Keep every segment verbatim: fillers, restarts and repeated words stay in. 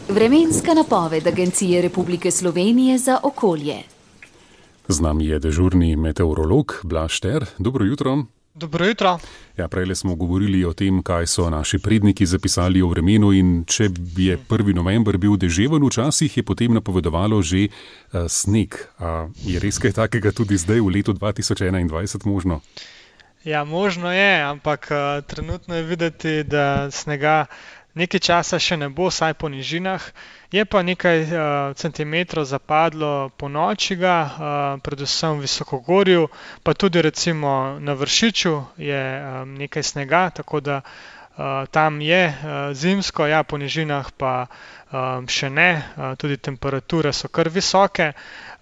Vremenska napoved Agencije Republike Slovenije za okolje. Z nami je dežurni meteorolog Blaž Šter. Dobro jutro. Dobro jutro. Ja, prejle smo govorili o tem, kaj so naši predniki zapisali o vremenu, in če je prvi november bil deževen včasih, je potem napovedovalo že uh, sneg. A je res kaj takega tudi zdaj v letu dva tisoč enaindvajset možno? Ja, možno je, ampak uh, trenutno je videti, da snega nekaj časa še ne bo, saj po nižinah. Je pa nekaj uh, centimetrov zapadlo po noči ga, uh, predvsem v Visokogorju, pa tudi recimo na Vršiču je um, nekaj snega, tako da uh, tam je uh, zimsko, ja, po nižinah pa um, še ne, uh, tudi temperature so kar visoke,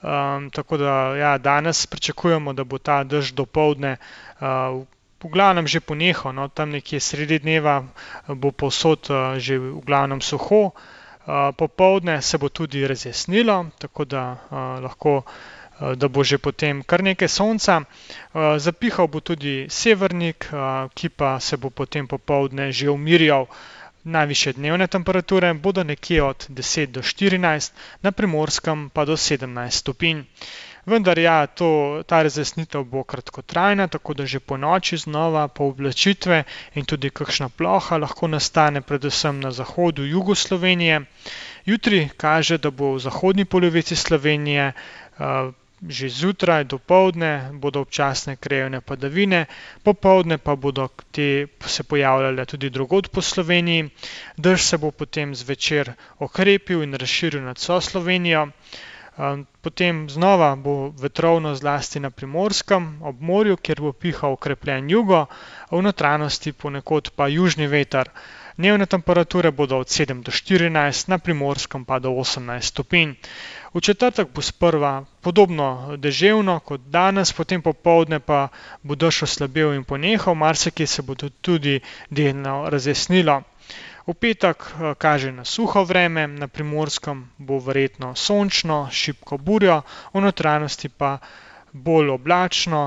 um, tako da ja, danes pričakujemo, da bo ta dež dopoldne uh, v glavnem že ponehal, no, tam nekje sredi dneva bo povsod uh, že v glavnem suho, uh, popoldne se bo tudi razjasnilo, tako da uh, lahko, uh, da bo že potem kar nekaj sonca. Uh, zapihal bo tudi severnik, uh, ki pa se bo potem popoldne že umirjal. Najvišje dnevne temperature bodo nekje od deset do štirinajst, na Primorskem pa do sedemnajst stopinj. Vendar ja, to, ta razjasnitev bo kratkotrajna, tako da že po noči znova pooblačitve in tudi kakšna ploha lahko nastane predvsem na zahodu, jugu Slovenije. Jutri kaže, da bo v zahodni polovici Slovenije uh, že zjutraj, dopoldne bodo občasne krajevne padavine, popoldne pa bodo te se pojavljale tudi drugod po Sloveniji. Dež se bo potem zvečer okrepil in razširil nad vso Slovenijo. Potem znova bo vetrovno zlasti na Primorskem, ob morju, kjer bo pihal okrepljen jugo, v notranjosti ponekod pa južni veter. Dnevne temperature bodo od sedem do štirinajst, na Primorskem pa do osemnajst stopinj. V četrtek bo sprva podobno deževno kot danes, potem popoldne pa bo dež oslabel in ponehal, marsikje se bo tudi delno razjasnilo. V petek kaže na suho vreme, na Primorskem bo verjetno sončno, šibko burjo, v notranjosti pa bolj oblačno,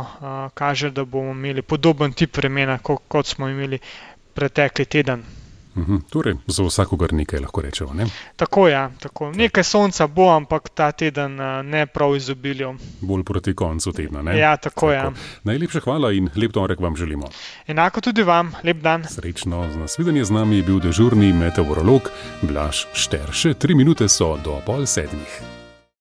kaže, da bomo imeli podoben tip vremena, kot smo imeli pretekli teden. Uhum, torej, za vsakogar nekaj lahko rečemo, ne? Tako ja, tako. Nekaj sonca bo, ampak ta teden ne prav izobilju. Bolj proti koncu tedna, ne? Ja, tako, tako. Ja. Najlepša hvala in lep torek vam želimo. Enako tudi vam, lep dan. Srečno, z nasvidenje z nami je bil dežurni meteorolog Blaž Šter. Še tri minute so do pol sedmih.